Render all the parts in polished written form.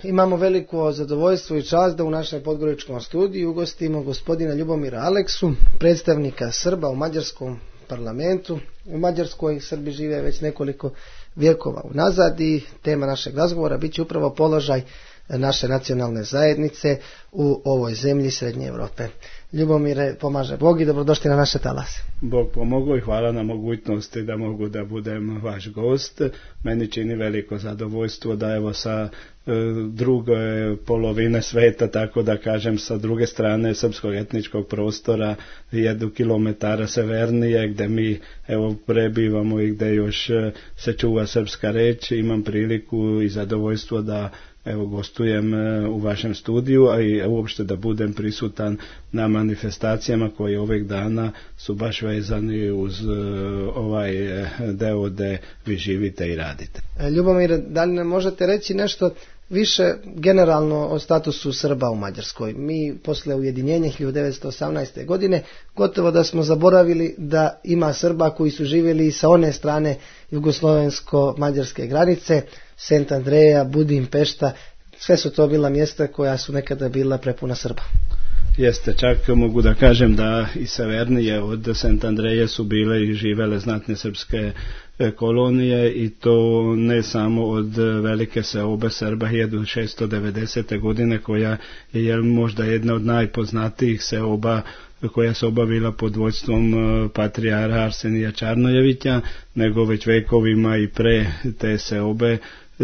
Imamo veliko zadovoljstvo i čast da u našem podgoričkom studiju ugostimo gospodina Ljubomira Aleksu, predstavnika Srba u mađarskom parlamentu. U Mađarskoj Srbi žive već nekoliko vjekova unazad i tema našeg razgovora bit će upravo položaj naše nacionalne zajednice u ovoj zemlji Srednje Europe. Ljubomire, pomaže Bog i dobrodošli na naše talase. Bog pomogao i hvala na mogućnosti da mogu da budem vaš gost. Meni čini veliko zadovoljstvo da evo sa druge polovine sveta, tako da kažem sa druge strane srpskog etničkog prostora, 1 kilometara severnije gdje mi evo prebivamo i gdje još se čuva srpska reč, imam priliku i zadovoljstvo da evo gostujem u vašem studiju, a i uopšte da budem prisutan na manifestacijama koje ovih dana su baš vezani uz ovaj deo gde vi živite i radite. Ljubomir, da li nam možete reći nešto više generalno o statusu Srba u Mađarskoj? Mi posle ujedinjenja 1918. godine gotovo da smo zaboravili da ima Srba koji su živjeli sa one strane jugoslovensko-mađarske granice, Sent Andreja, Budimpešta, sve su to bila mjesta koja su nekada bila prepuna Srba. Jeste, čak mogu da kažem da i severnije od Sent Andreje su bile i živele znatne srpske kolonije i to ne samo od velike seobe Srba 1690. godine koja je možda jedna od najpoznatijih seoba koja se obavila pod vodstvom patrijara Arsenija Čarnojevića, nego već vekovima i pre te seobe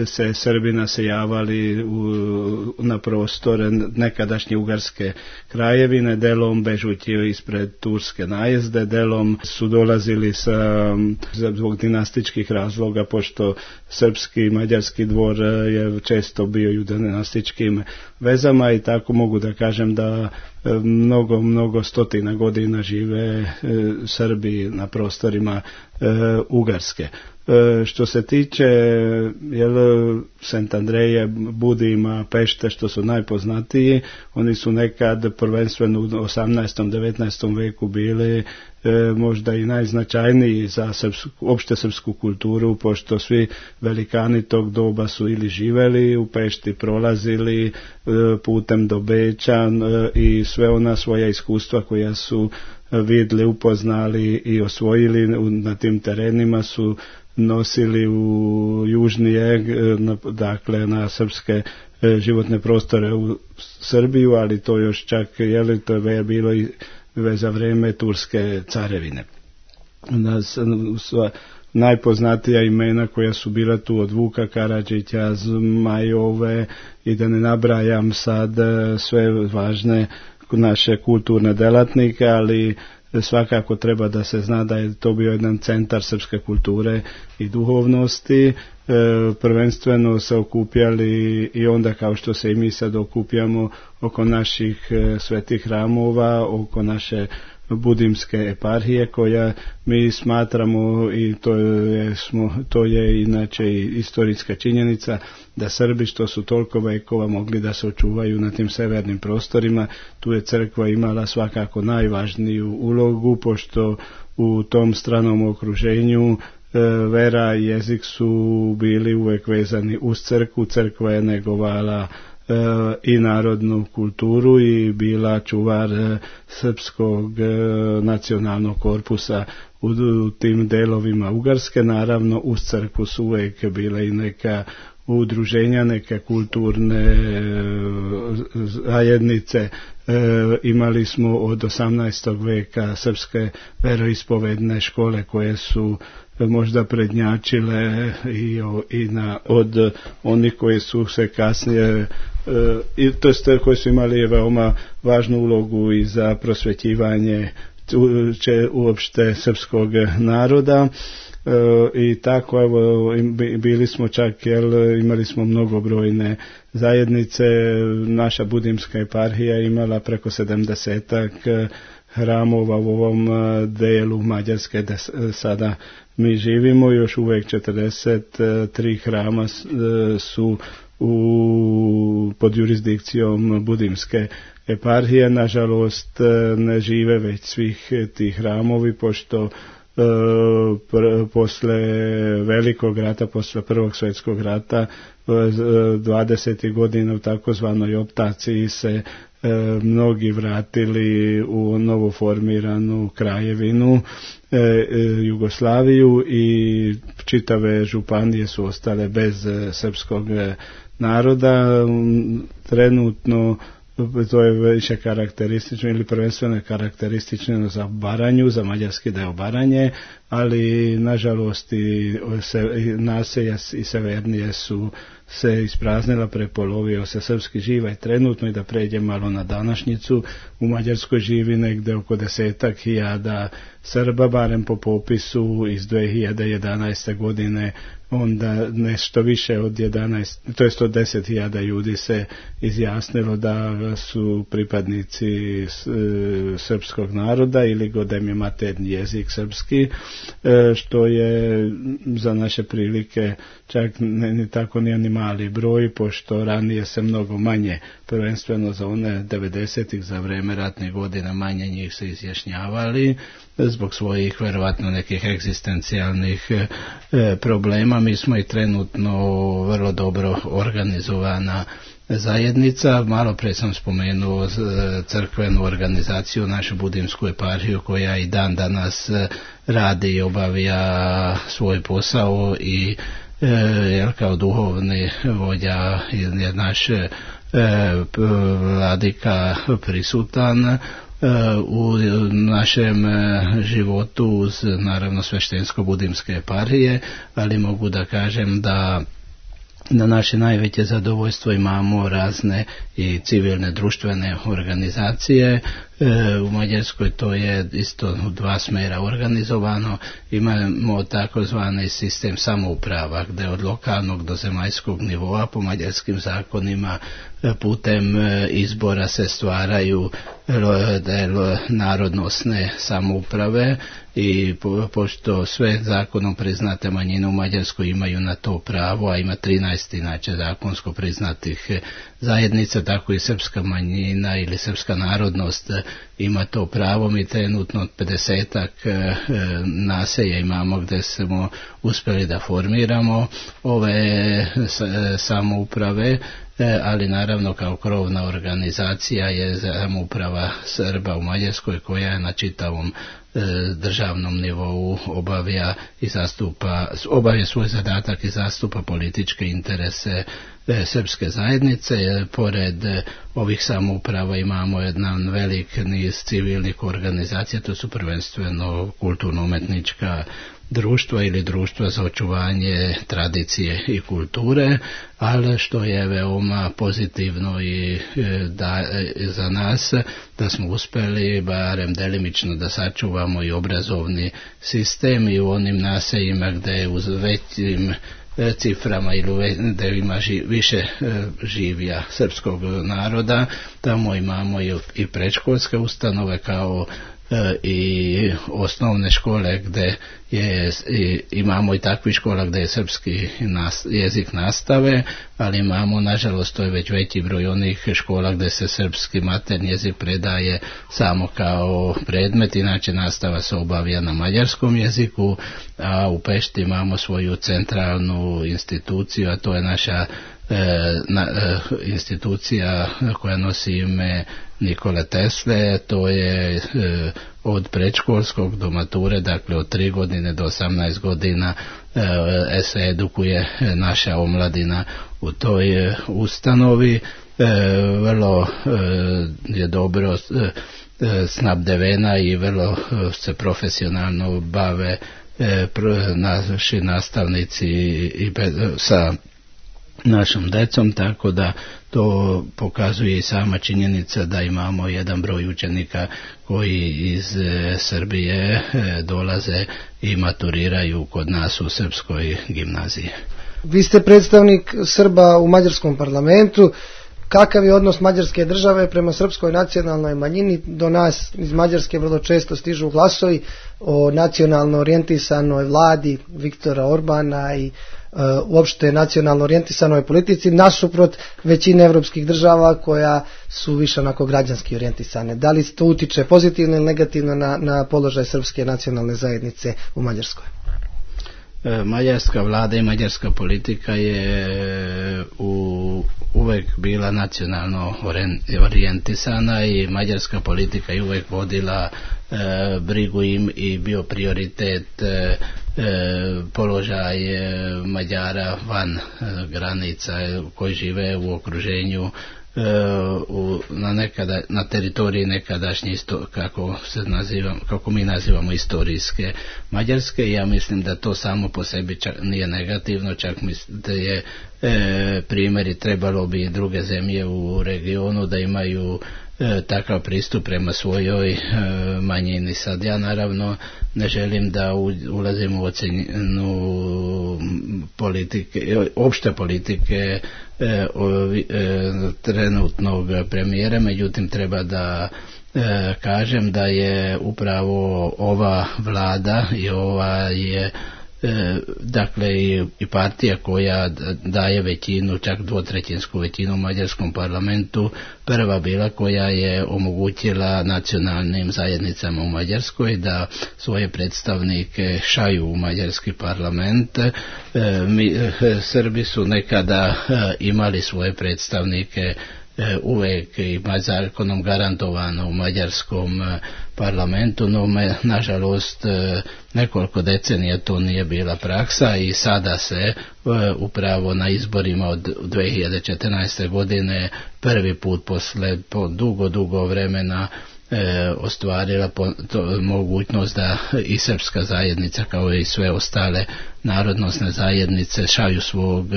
se Srbi naseljavali na prostore nekadašnje ugarske krajevine, delom bežući ispred turske najezde, delom su dolazili zbog dinastičkih razloga, pošto srpski i mađarski dvor je često bio u dinastičkim vezama i tako mogu da kažem da mnogo stotina godina žive Srbi na prostorima Ugarske. Što se tiče Sent Andreje, Budima, Pešte, što su najpoznatiji, oni su nekad prvenstveno u 18. 19. veku bili možda i najznačajniji za opšte srpsku kulturu, pošto svi velikani tog doba su ili živeli u Pešti, prolazili putem do Beča i sve ona svoja iskustva koja su vidjeli, upoznali i osvojili na tim terenima su nosili u južni eg, dakle na srpske životne prostore u Srbiju, ali to još čak to je bilo i za vreme turske carevine. Najpoznatija imena koja su bila tu od Vuka Karadžića, Zmajove i da ne nabrajam sad sve važne naše kulturne delatnike, ali svakako treba da se zna da je to bio jedan centar srpske kulture i duhovnosti. Prvenstveno se okupljali i onda kao što se i mi sad okupljamo oko naših svetih hramova, oko naše Budimske eparhije koja mi smatramo i to je inače i istorijska činjenica da Srbi što su toliko vekova mogli da se očuvaju na tim severnim prostorima, tu je crkva imala svakako najvažniju ulogu, pošto u tom stranom okruženju vera i jezik su bili uvek vezani uz crkvu, crkva je negovala i narodnu kulturu i bila čuvar srpskog nacionalnog korpusa u tim delovima Ugarske. Naravno uz crkvu su uvek bile i neka udruženja, neke kulturne zajednice. Imali smo od 18. veka srpske veroispovedne škole koje su možda prednjačile od onih koji su se kasnije koji su imali veoma važnu ulogu i za prosvećivanje uopšte srpskog naroda. I tako evo bili smo čak imali smo mnogobrojne zajednice. Naša Budimska eparhija imala preko 70 hramova u ovom delu Mađarske gde sada mi živimo. Još uvek 43 hrama su pod jurisdikcijom Budimske eparhije. Nažalost ne žive već svih tih hramovi, pošto posle velikog rata, posle Prvog svjetskog rata, 20. godina u takozvanoj optaciji se mnogi vratili u novoformiranu kraljevinu Jugoslaviju i čitave županije su ostale bez srpskog naroda. Trenutno to je više karakteristično ili prvenstveno karakteristično za Baranju, za mađarski deo Baranje, ali nažalost i naselja i severnije su se ispraznila, prepolovio se srpski živaj trenutno. I da pređe malo na današnjicu, u Mađarskoj živi negde oko 10.000 Srba, barem po popisu iz 2011. godine, onda nešto više od 10.000 ljudi se izjasnilo da su pripadnici srpskog naroda ili da im je maternji jezik srpski, što je za naše prilike čak ne tako ni mali broj, pošto ranije se mnogo manje, prvenstveno za one 90-ih, za vreme ratnih godina, manje njih se izjašnjavali zbog svojih verovatno nekih egzistencijalnih problema. Mi smo i trenutno vrlo dobro organizovana zajednica. Malo pre sam spomenuo crkvenu organizaciju, našu Budimsku eparhiju, koja i dan danas radi i obavlja svoj posao i kao duhovni vođa je naš vladika prisutan u našem životu uz naravno sveštensko-budimske eparhije, ali mogu da kažem da na naše najveće zadovoljstvo imamo razne i civilne društvene organizacije. U Mađarskoj to je isto u dva smjera organizovano. Imamo takozvani sistem samouprava gdje od lokalnog do zemaljskog nivoa po mađarskim zakonima putem izbora se stvaraju narodnosne samouprave i pošto sve zakonom priznate manjine u Mađarskoj imaju na to pravo, a ima 13 inače zakonsko priznatih zajednica, tako i srpska manjina ili srpska narodnost ima to pravo. Mi trenutno 50-ak naselja imamo gdje smo uspjeli da formiramo ove samouprave, ali naravno kao krovna organizacija je samouprava Srba u Mađarskoj, koja je na čitavom državnom nivou obavlja svoj zadatak i zastupa političke interese srpske zajednice. Pored ovih samouprava imamo jedan velik niz civilnih organizacija, to su prvenstveno kulturno-umetnička društva ili društva za očuvanje tradicije i kulture, ali što je veoma pozitivno i za nas, da smo uspjeli barem delimično da sačuvamo i obrazovni sistem i u onim naseljima gdje je uz većim ciframa ili gdje ima više življa srpskog naroda, tamo imamo i predškolske ustanove kao i osnovne škole gdje imamo i takvih škola gdje je srpski jezik nastave, ali imamo nažalost to je već veći broj onih škola gdje se srpski maternji jezik predaje samo kao predmet, inače nastava se obavlja na mađarskom jeziku, a u Pešti imamo svoju centralnu instituciju, a to je naša institucija koja nosi ime Nikole Tesle. To je od predškolskog do mature, dakle od 3 godine do 18 godina se edukuje naša omladina u toj ustanovi. Vrlo je dobro snabdevena i vrlo se profesionalno bave naši nastavnici i sa našom decom, tako da to pokazuje i sama činjenica da imamo jedan broj učenika koji iz Srbije dolaze i maturiraju kod nas u srpskoj gimnaziji. Vi ste predstavnik Srba u mađarskom parlamentu. Kakav je odnos mađarske države prema srpskoj nacionalnoj manjini? Do nas iz Mađarske vrlo često stižu glasovi o nacionalno orijentisanoj vladi Viktora Orbana i uopšte nacionalno orijentisanoj politici nasuprot većine evropskih država koja su više onako građanski orijentisane. Da li to utiče pozitivno ili negativno na položaj srpske nacionalne zajednice u Mađarskoj? Mađarska vlada i mađarska politika je uvek bila nacionalno orijentisana i mađarska politika je uvek vodila brigu im i bio prioritet položaj Mađara van granica koji žive u okruženju na teritoriji nekadašnje kako mi nazivamo istorijske Mađarske. Ja mislim da to samo po sebi nije negativno, čak mislim da je primjeri trebalo bi druge zemlje u regionu da imaju takav pristup prema svojoj manjini. Sad ja naravno ne želim da ulazim u ocjenu opšte politike trenutnog premijera, međutim treba da kažem da je upravo ova vlada i ova je dakle i partija koja daje većinu, čak dvotrećinsku većinu u mađarskom parlamentu, prva bila koja je omogućila nacionalnim zajednicama u Mađarskoj da svoje predstavnike šalju u mađarski parlament. Srbi su nekada imali svoje predstavnike uvek ima zakonom garantovano u mađarskom parlamentu, no nažalost nekoliko decenija to nije bila praksa i sada se upravo na izborima od 2014. godine prvi put posle dugo vremena ostvarila mogućnost da i srpska zajednica kao i sve ostale narodnosne zajednice šalju svog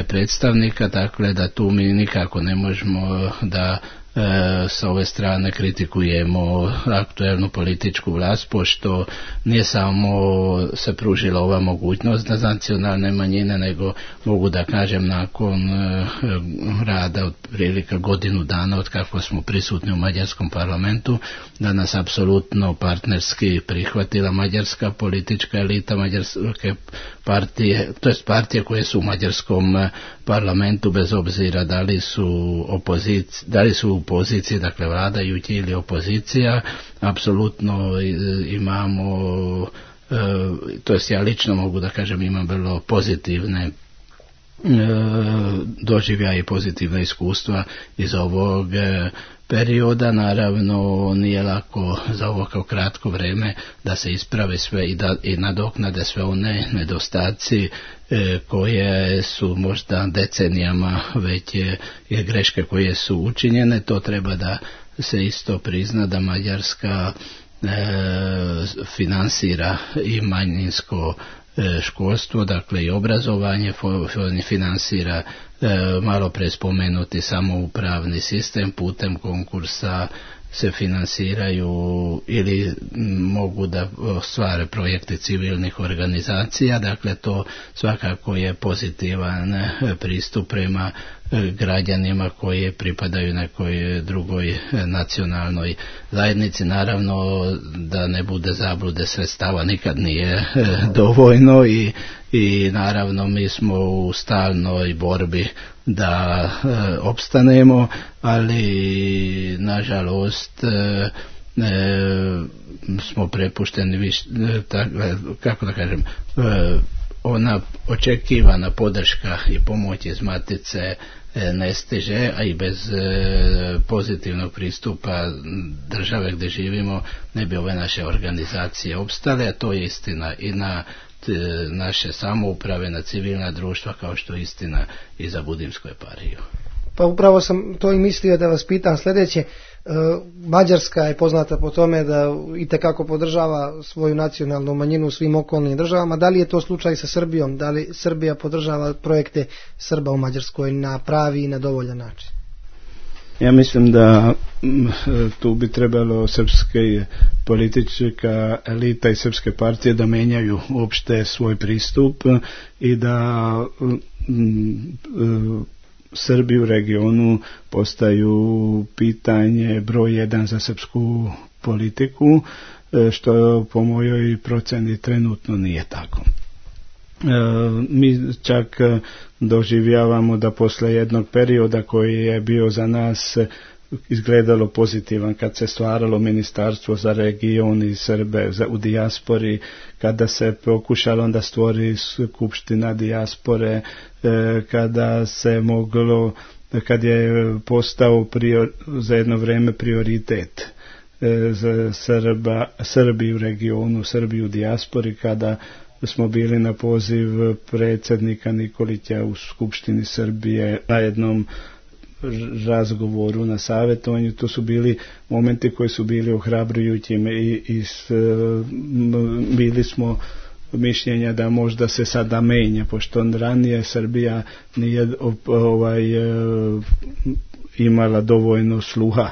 predstavnika, dakle da tu mi nikako ne možemo da sa ove strane kritikujemo aktuelnu političku vlast, pošto nije samo se pružila ova mogućnost za nacionalne manjine, nego mogu da kažem nakon rada otprilike godinu dana od kako smo prisutni u mađarskom parlamentu, da nas apsolutno partnerski prihvatila mađarska politička elita, mađarske partije, to jest partije koje su u mađarskom parlamentu, bez obzira da li su u poziciji, dakle vladajući ili opozicija, apsolutno imamo, to jest ja lično mogu da kažem imam vrlo pozitivne doživljaje i pozitivna iskustva iz ovog perioda. Naravno nije lako za ovo kao kratko vreme da se isprave sve i nadoknade sve one nedostaci koje su možda decenijama već greške koje su učinjene. To treba da se isto prizna da Mađarska finansira i manjinsko školstvo, dakle i obrazovanje, finansira malo pre spomenuti samoupravni sistem, putem konkursa se finansiraju ili mogu da ostvare projekte civilnih organizacija, dakle to svakako je pozitivan pristup prema građanima koji pripadaju nekoj drugoj nacionalnoj zajednici. Naravno da ne bude zablude, sredstava nikad nije dovoljno i naravno mi smo u stalnoj borbi da opstanemo, ali nažalost smo prepušteni kako da kažem, ona očekivana podrška i pomoć iz matice ne stiže, a i bez pozitivnog pristupa države gdje živimo ne bi ove naše organizacije opstale, a to je istina i na naše samouprave, na civilna društva, kao što je istina i za Budimsku eparhiju. Pa upravo sam to i mislio da vas pitam sljedeće. Mađarska je poznata po tome da itekako podržava svoju nacionalnu manjinu u svim okolnim državama. Da li je to slučaj sa Srbijom? Da li Srbija podržava projekte Srba u Mađarskoj na pravi i na dovoljan način? Ja mislim da tu bi trebalo srpske politička elita i srpske partije da menjaju uopšte svoj pristup i da Srbi u regionu postaju pitanje broj 1 za srpsku politiku, što po mojoj proceni trenutno nije tako. Mi čak doživljavamo da posle jednog perioda koji je bio za nas izgledalo pozitivan, kad se stvaralo ministarstvo za region i Srbe u dijaspori, kada se pokušalo onda stvori skupština dijaspore, kada se moglo, kad je postao za jedno vrijeme prioritet za Srbi u regionu, Srbi u dijaspori, kada smo bili na poziv predsjednika Nikolića u Skupštini Srbije na jednom razgovoru, na savjetovanju. To su bili momenti koji su bili ohrabrujući i bili smo mišljenja da možda se sada menja, pošto ranije Srbija nije imala dovoljno sluha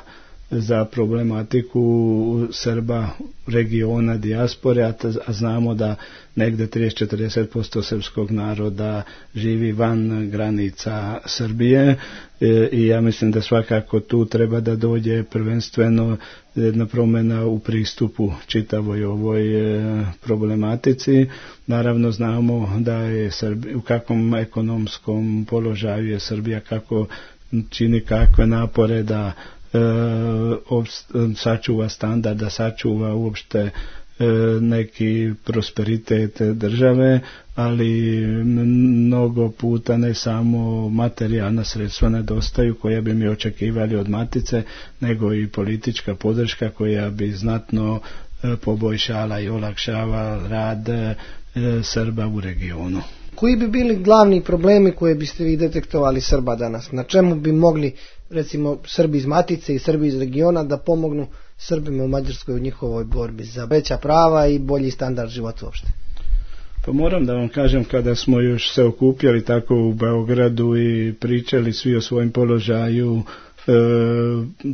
za problematiku Srba regiona dijaspore, a znamo da negde 30-40% srpskog naroda živi van granica Srbije i ja mislim da svakako tu treba da dođe prvenstveno jedna promjena u pristupu čitavoj ovoj problematici. Naravno znamo da je u kakvom ekonomskom položaju je Srbija, kako čini kakve napore da sačuva standard, da sačuva uopšte neki prosperitet države, ali mnogo puta ne samo materijalna sredstva nedostaju koja bi mi očekivali od matice, nego i politička podrška koja bi znatno poboljšala i olakšavala rad Srba u regionu. Koji bi bili glavni problemi koje biste vi detektovali Srba danas? Na čemu bi mogli, recimo, Srbi iz matice i Srbi iz regiona da pomognu Srbima u Mađarskoj u njihovoj borbi za veća prava i bolji standard života uopšte? Pa moram da vam kažem, kada smo još se okupljali tako u Beogradu i pričali svi o svojim položaju,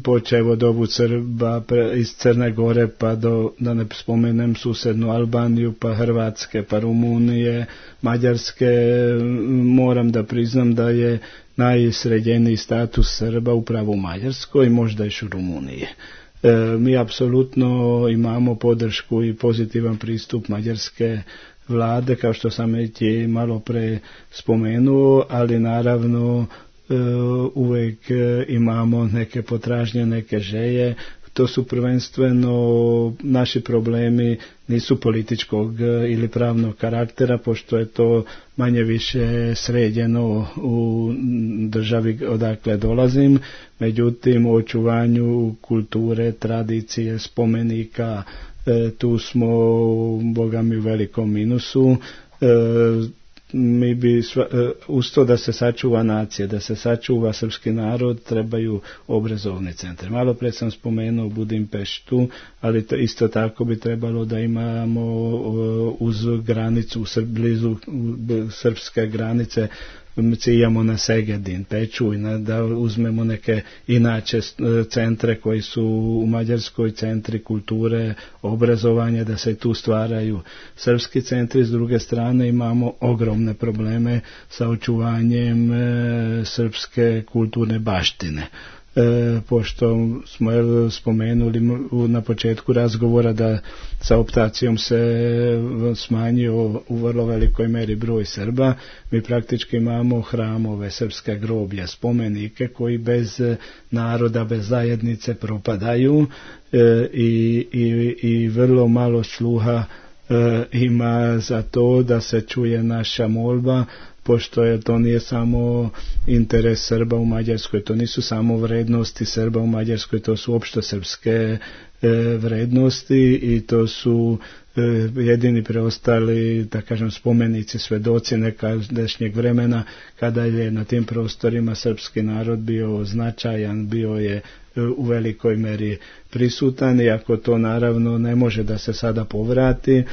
počev od ovu Srba iz Crne Gore pa da ne spomenem susednu Albaniju, pa Hrvatske, pa Rumunije, Mađarske, moram da priznam da je najsređeniji status Srba upravo u Mađarskoj, možda još u Rumuniji. Mi apsolutno imamo podršku i pozitivan pristup mađarske vlade, kao što sam već i malo pre spomenuo, ali naravno uvijek imamo neke potražnje, neke želje. To su prvenstveno naši problemi, nisu političkog ili pravnog karaktera, pošto je to manje više sređeno u državi odakle dolazim. Međutim, u očuvanju kulture, tradicije, spomenika, tu smo, boga mi, u velikom minusu. Mi bi uz to da se sačuva nacija, da se sačuva srpski narod, trebaju obrazovni centri. Malo pre sam spomenuo Budimpeštu, ali to isto tako bi trebalo da imamo uz granicu, blizu srpske granice, ciljamo na Segedin, Pečuj, da uzmemo neke inače centre koji su u Mađarskoj, centri kulture, obrazovanja, da se tu stvaraju srpski centri. S druge strane imamo ogromne probleme sa očuvanjem srpske kulturne baštine. Pošto smo spomenuli na početku razgovora da sa optacijom se smanjio u vrlo velikoj meri broj Srba, mi praktički imamo hramove, srpske groblja, spomenike koji bez naroda, bez zajednice propadaju i vrlo malo sluha ima za to da se čuje naša molba, pošto je to nije samo interes Srba u Mađarskoj, to nisu samo vrednosti Srba u Mađarskoj, to su opšte srpske vrednosti i to su jedini preostali, da kažem, spomenici, svedoci nekadašnjeg vremena kada je na tim prostorima srpski narod bio značajan, bio je u velikoj meri prisutan, iako to naravno ne može da se sada povrati,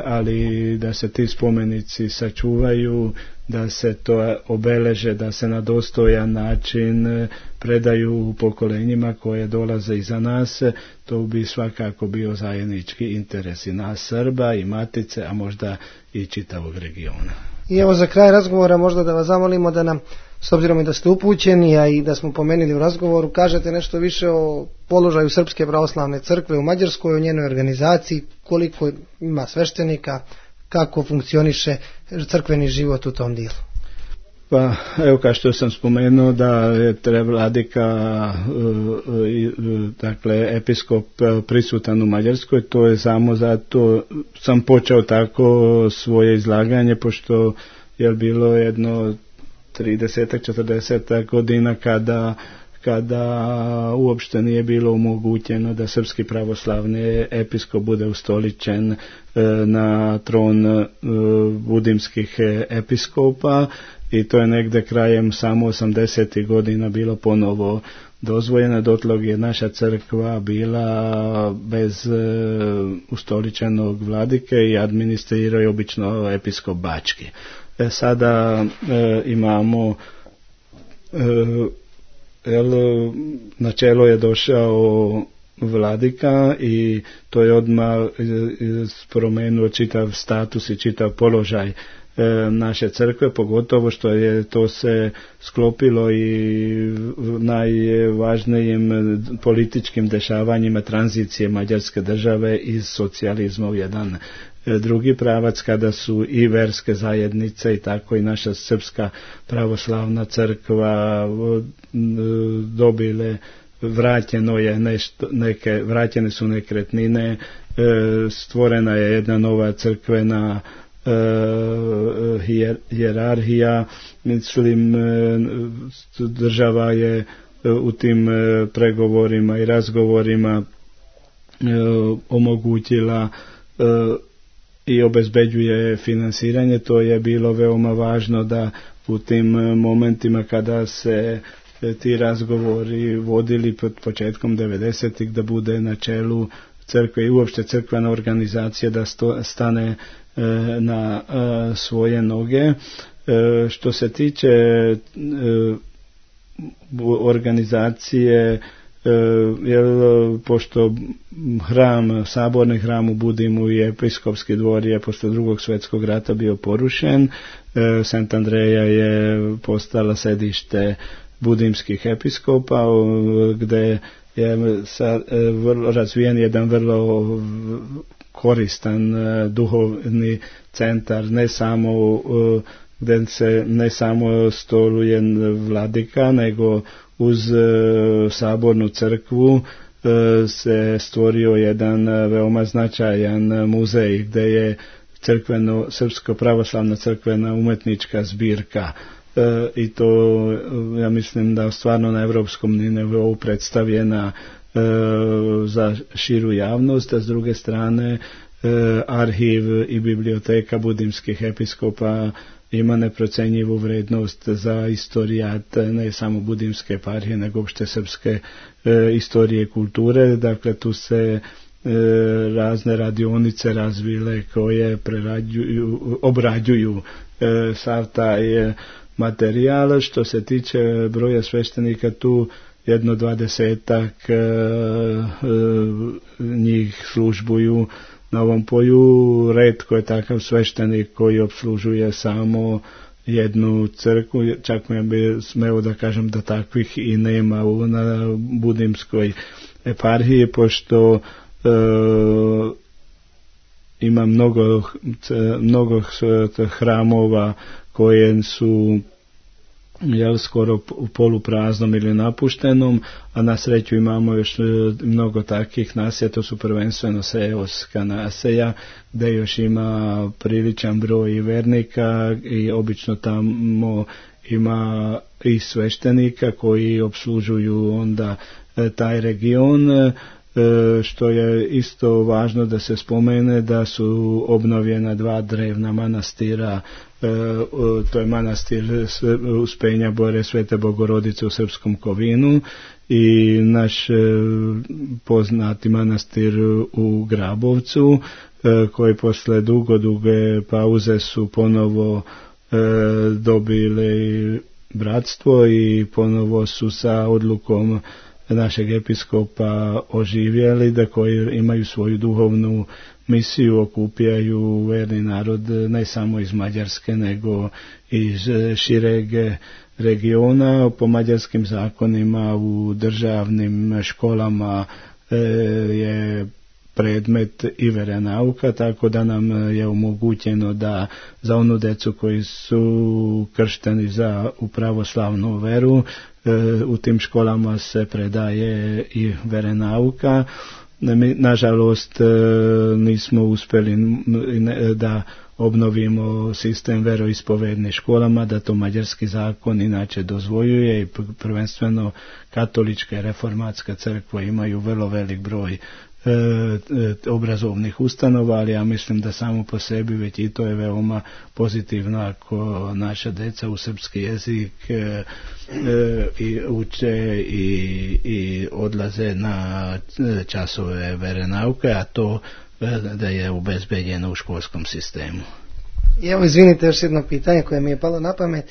ali da se ti spomenici sačuvaju, da se to obeleže, da se na dostojan način predaju pokolenjima koje dolaze iza nas, to bi svakako bio zajednički interes i nas Srba i matice, a možda i čitavog regiona. I evo za kraj razgovora možda da vas zamolimo da nam, s obzirom i da ste upućeni, a i da smo pomenuli u razgovoru, kažete nešto više o položaju Srpske pravoslavne crkve u Mađarskoj, o njenoj organizaciji, koliko ima sveštenika, kako funkcioniše crkveni život u tom dijelu. Pa evo kao što sam spomenuo da je vladika, dakle episkop prisutan u Mađarskoj, to je samo zato sam počeo tako svoje izlaganje, pošto je bilo jedno 30-40 godina kada uopšte nije bilo omogućeno da srpski pravoslavni episkop bude ustoličen na tron budimskih episkopa, i to je negde krajem samo 80. godina bilo ponovo dozvoljeno. Dotlog je naša crkva bila bez ustoličenog vladike i administrirao je obično episkop Bački. Sada imamo na čelo je došao vladika i to je odmah promenuo čitav status i čitav položaj naše crkve, pogotovo što je to se sklopilo i najvažnijim političkim dešavanjima tranzicije mađarske države iz socijalizma u jedan drugi pravac, kada su i verske zajednice i tako i naša srpska pravoslavna crkva dobile, vraćene su nekretnine, stvorena je jedna nova crkvena hijerarhija, mislim država je u tim pregovorima i razgovorima omogućila i obezbeđuje finansiranje. To je bilo veoma važno da u tim momentima kada se ti razgovori vodili pod početkom 90-ih da bude na čelu crkve i uopšte crkvena organizacija da stane na svoje noge. Što se tiče organizacije, pošto saborni hram u Budimu i episkopski dvor je posle Drugog svjetskog rata bio porušen, Sant Andreja je postala sedište budimskih episkopa, gde je vrlo razvijen jedan vrlo koristan duhovni centar, ne samo gdje se ne samo stoluje vladika, nego uz sabornu crkvu se stvorio jedan veoma značajan muzej gdje je srpsko pravoslavna crkvena umetnička zbirka, i to ja mislim da stvarno na evropskom nivou predstavljena za širu javnost, a s druge strane arhiv i biblioteka budimskih episkopa ima neprocenjivu vrednost za istorijat ne samo budimske eparhije nego uopšte srpske istorije i kulture. Dakle, tu se razne radionice razvile koje obrađuju sav taj materijal. Što se tiče broja sveštenika, tu jedno 20-ak njih službuju na ovom polju. Retko je takav sveštenik koji opslužuje samo jednu crkvu, čak mi bi smeo da kažem da takvih i nema na budimskoj eparhiji, pošto ima mnogo hramova koje su skoro u polupraznom ili napuštenom, a na sreću imamo još mnogo takvih naselja, to su prvenstveno seoska naselja gdje još ima priličan broj vernika i obično tamo ima i sveštenika koji opslužuju onda taj region. Što je isto važno da se spomene da su obnovljena 2 drevna manastira, to je manastir Uspenja Bore Svete Bogorodice u Srpskom Kovinu i naš poznati manastir u Grabovcu, koji posle duge pauze su ponovo dobili bratstvo i ponovo su sa odlukom našeg episkopa oživjeli, da koji imaju svoju duhovnu misiju, okupljaju verni narod ne samo iz Mađarske nego iz šireg regiona. Po mađarskim zakonima u državnim školama je predmet i veronauka, tako da nam je omogućeno da za onu decu koji su kršteni za u pravoslavnu veru, u tim školama se predaje i veronauka. Nažalost nismo uspjeli da obnovimo sistem veroispovednih školama, da to mađarski zakon inače dozvoljuje i prvenstveno katolička i reformatska crkva imaju vrlo velik broj obrazovnih ustanova, ali ja mislim da samo po sebi već i to je veoma pozitivno ako naša deca u srpski jezik i uče i odlaze na časove veronauke, a to da je obezbeđeno u školskom sistemu. I evo, izvinite, još jedno pitanje koje mi je palo na pamet,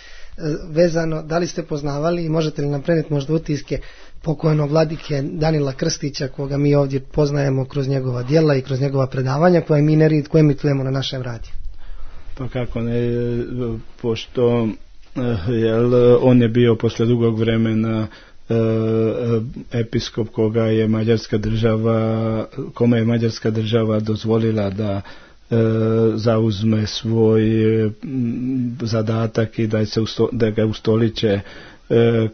vezano, da li ste poznavali i možete li nam prenijeti možda utiske pokojnog vladike Danila Krstića, koga mi ovdje poznajemo kroz njegova djela i kroz njegova predavanja koje mi nerijetko emitujemo na našem radiju? Pa kako ne, pošto on je bio posle dugog vremena episkop kome je mađarska država dozvolila da zauzme svoj zadatak i da ga ustoliče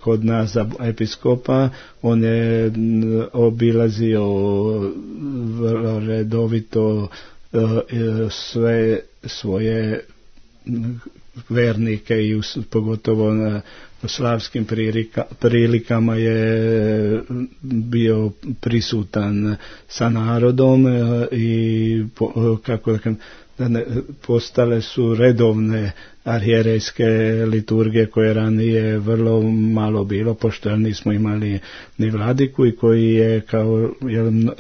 kod nas za episkopa. On je obilazio vrlo redovito sve svoje vernike i pogotovo na slavskim prilikama je bio prisutan sa narodom i kako postale su redovne arhijerejske liturgije koje ranije vrlo malo bilo, pošto nismo imali ni vladiku i koji je kao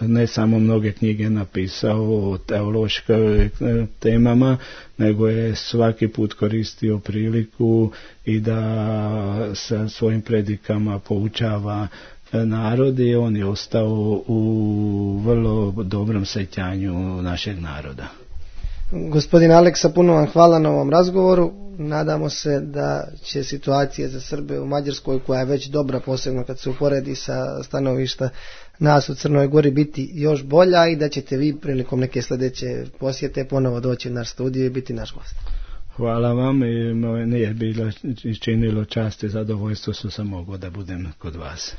ne samo mnoge knjige napisao o teološkim temama, nego je svaki put koristio priliku i da sa svojim predikama poučava narod i on je ostao u vrlo dobrom sjećanju našeg naroda. Gospodin Aleksa, puno vam hvala na ovom razgovoru. Nadamo se da će situacija za Srbe u Mađarskoj, koja je već dobra, posebno kad se uporedi sa stanovišta nas u Crnoj Gori, biti još bolja i da ćete vi prilikom neke sljedeće posjete ponovo doći u naš studio i biti naš gost. Hvala vam i nije bilo činilo čast i zadovoljstvo što sam mogao da budem kod vas.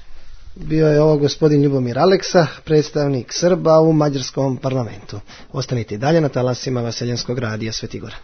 Bio je ovo gospodin Ljubomir Aleksa, predstavnik Srba u Mađarskom parlamentu. Ostanite i dalje na talasima Vaseljenskog radija Svetigora.